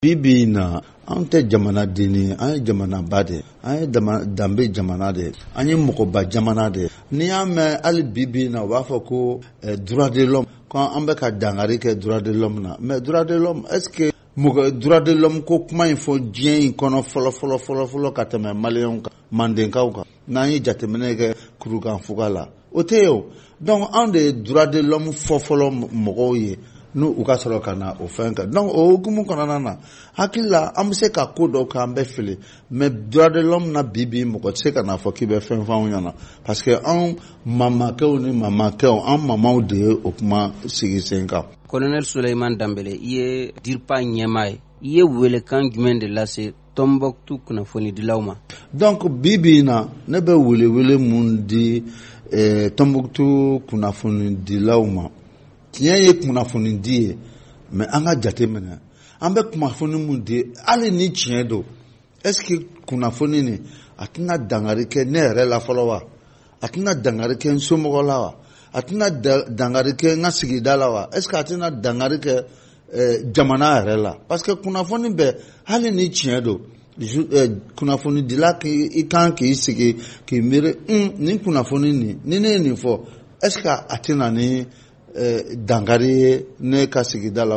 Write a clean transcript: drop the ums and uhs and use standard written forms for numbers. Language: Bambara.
Bi bi in na, an tɛ jamanaden ye, an ye jamanaba de ye, an ye danbe jamana de ye, an ye mɔgɔba jamana de ye. N'i y'a mɛn hali bi bi in na, u b'a fɔ ko droit de l'homme, ko an bɛ ka dankari kɛ droit de l'homme na. Mais droit de l'homme, est ce que mɔgɔ droit de l'homme ko kuma in fɔ diɲɛ in kɔnɔ fɔlɔ fɔlɔ fɔlɔ fɔlɔ ka tɛmɛ maliyɛnw kan, mandenkaw kan, n'an ye jateminɛ kɛ kurukanfuga la, o tɛ yen o. Donc anw de ye droit de l'homme fɔ fɔlɔ mɔgɔw ye, n'u u ka sɔrɔ ka na o fɛn kan. Donc o hukumu kɔnɔna na, hakili la, an bɛ se ka ko dɔw kɛ, an bɛ fili, mais droit de l'homme na, bi bi, mɔgɔ tɛ se ka n'a fɔ k'i bɛ fɛn fɔ anw ɲɛna, parce que anw mamakɛw ni mamakɛw, an mamaw de ye o kuma sigi sen kan. Colonel Souleymane Dembele, i ye DIRPA ɲɛmaa ye, i ye welekan jumɛn de lase Tombouctou kunnafonidilaw ma? Donc bi bi in na, ne bɛ welewele mun di Tombouctou kunnafonidilaw ma? Tiɲɛ ye kunnafoni di ye, mais an ka jate minɛ, an bɛ kunnafoni mun di, hali ni tiɲɛ don, est ce que kunnafoni nin a tɛna dankari kɛ ne yɛrɛ la fɔlɔ wa? A tɛna dankari kɛ n somɔgɔ la wa? A tɛna dankari kɛ n ka sigida la wa? Est ce que a tɛna dankari kɛ jamana yɛrɛ la? Parce que kunnafoni bɛɛ, hali ni tiɲɛ don, kunnafonidila k'i kan k'i sigi k'i miiri: nin kunnafoni nin, ni ne ye nin fɔ, est ce que a tɛna ni dankari ye ne ka sigida la?